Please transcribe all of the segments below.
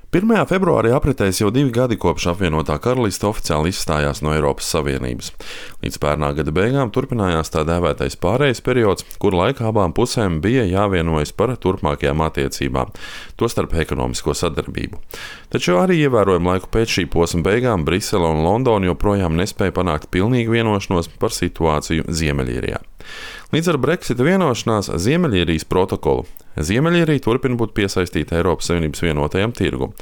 1. februārī apritēs jau 2 gadi kopš apvienotā karaliste oficiāli izstājās no Eiropas Savienības. Līdz pērnā gada beigām turpinājās tā dēvētais pārejas periods, kur laikā abām pusēm bija jāvienojas par turpmākajām attiecībām, tostarp ekonomisko sadarbību. Taču arī ievērojumu laiku pēc šī posma beigām Brisele un Londona joprojām nespēja panākt pilnīgu vienošanos par situāciju Ziemeļīrijā. Līdz ar Brexita vienošanās Ziemeļīrijas protokolu Ziemeļīrija turpina būt piesaistīta Eiropas Savienības vienotajam tirgum,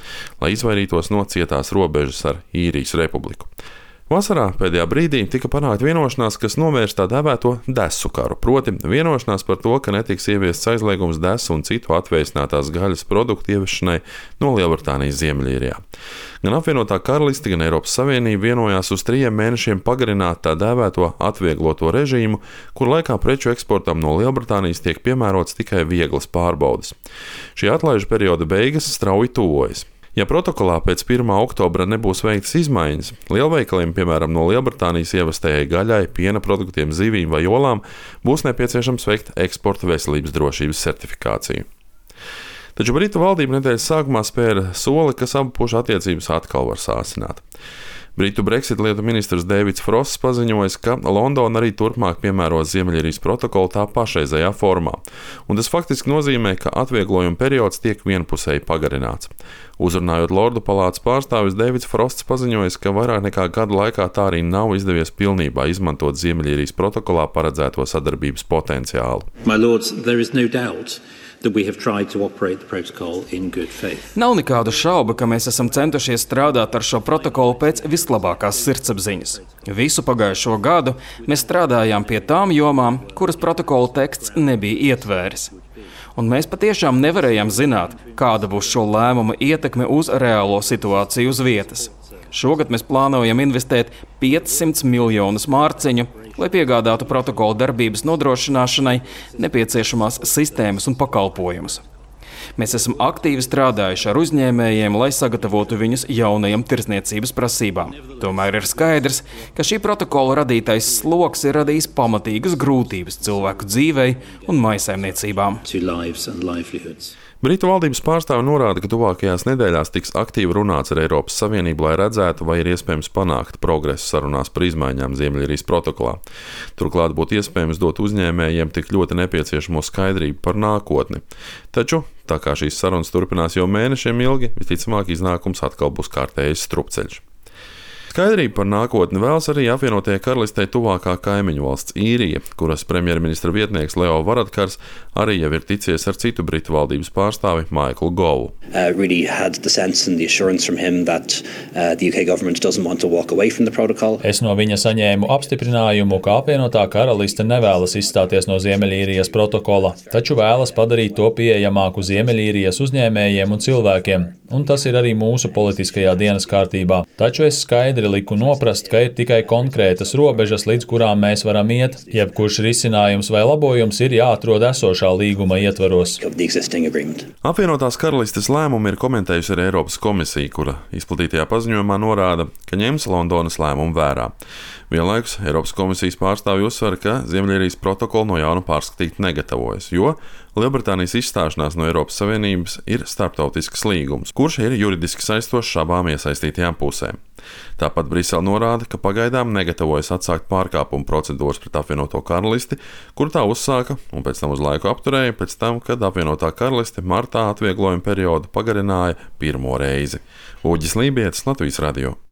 lai izvairītos no cietās robežas ar Īrijas republiku. Vasarā pēdējā brīdī tika panākta vienošanās, kas novērš tā dēvēto desu karu, proti vienošanās par to, ka netiks ieviests aizliegums desu un citu atvēsinātās gaļas produktu ieviešanai no Lielbritānijas Ziemeļīrijā. Gan apvienotā karaliste, gan Eiropas Savienība vienojās uz 3 mēnešiem pagarināt tā dēvēto atviegloto režīmu, kur laikā preču eksportam no Lielbritānijas tiek piemērots tikai vieglas pārbaudes. Šī atlaižu perioda beigas strauji tuvojas. Ja protokolā pēc 1. oktobra nebūs veiktas izmaiņas, lielveikaliem, piemēram, no Lielbritānijas ievestējai gaļai, piena produktiem, zivīm vai olām, būs nepieciešams veikt eksporta veselības drošības certifikāciju. Taču Britu valdība nedēļas sākumā spēra soli, kas abu pušu attiecības atkal var sāsināt. Britu Brexit lietu ministrs Deivids Frosts paziņojis, ka Londona arī turpmāk piemēros Ziemeļīrijas protokolu tā pašreizējā formā, un tas faktiski nozīmē, ka atvieglojuma periods tiek vienpusēji pagarināts. Uzrunājot Lordu palātas pārstāvis, Deivids Frosts paziņojis, ka vairāk nekā gada laikā tā arī nav izdevies pilnībā izmantot Ziemeļīrijas protokolā paredzēto sadarbības potenciālu. My lords, there is no doubt that we have tried to operate the protocol in good faith. Nav nekādu šaubu, ka mēs esam centušies strādāt ar šo protokolu pēc vislabākās sirdsapziņas. Visu pagājušo gadu mēs strādājām pie tām jomām, kuras protokola teksts nebija ietvēris. Un mēs patiešām nevarējām zināt, kāda būs šo lēmumu ietekme uz reālo situāciju uz vietas. Šogad mēs plānojam investēt 500 miljonus mārciņu, lai piegādātu protokola darbības nodrošināšanai nepieciešamās sistēmas un pakalpojumus. Mēs esam aktīvi strādājuši ar uzņēmējiem, lai sagatavotu viņus jaunajām tirdzniecības prasībām. Tomēr ir skaidrs, ka šī protokola radītais sloks ir radījis pamatīgas grūtības cilvēku dzīvei un mājsaimniecībām. Britu valdības pārstāvi norāda, ka tuvākajās nedēļās tiks aktīvi runāts ar Eiropas Savienību, lai redzētu, vai ir iespējams panākt progresu sarunās par izmaiņām Ziemeļīrijas protokolā. Turklāt būtu iespējams dot uzņēmējiem tik ļoti nepieciešamo skaidrību par nākotni. Taču, tā kā šīs sarunas turpinās jau mēnešiem ilgi, visticamāk iznākums atkal būs kārtējs strupceļš. Skaidrību par nākotni vēlas arī apvienotajai karalistei tuvākā kaimiņu valsts Īrija, kuras premjerministra vietnieks Leo Varadkars arī jau ir ticies ar citu Britu valdības pārstāvi Michaelu Govu. Es no viņa saņēmu apstiprinājumu, ka apvienotā karaliste nevēlas izstāties no Ziemeļīrijas protokola, taču vēlas padarīt to pieejamāku Ziemeļīrijas uzņēmējiem un cilvēkiem, un tas ir arī mūsu politiskajā dienas kārtībā. Taču es skaidri liku noprast, ka ir tikai konkrētas robežas, līdz kurām mēs varam iet. Jebkurš risinājums vai labojums ir jāatrod esošā līguma ietvaros. Apvienotās karalistes lēmumu ir komentējusi arī Eiropas komisija, kura izplatītajā paziņojumā norāda, ka ņems Londonas lēmumu vērā. Vienlaikus Eiropas komisijas pārstāvji uzsver, ka Ziemeļīrijas protokolu no jauna pārskatīt negatavojas, jo Lielbritānijas izstāšanās no Eiropas Savienības ir starptautisks līgums, kurš ir juridiski saistošs abām iesaistītajām pusēm. Tāpat Brisele norāda, ka pagaidām negatavojas atsākt pārkāpumu procedūras pret apvienoto karalisti, kur tā uzsāka un pēc tam uz laiku apturēja pēc tam, kad apvienotā karaliste martā atvieglojuma periodu pagarināja pirmo reizi. Uģis Lībietis, Latvijas radio.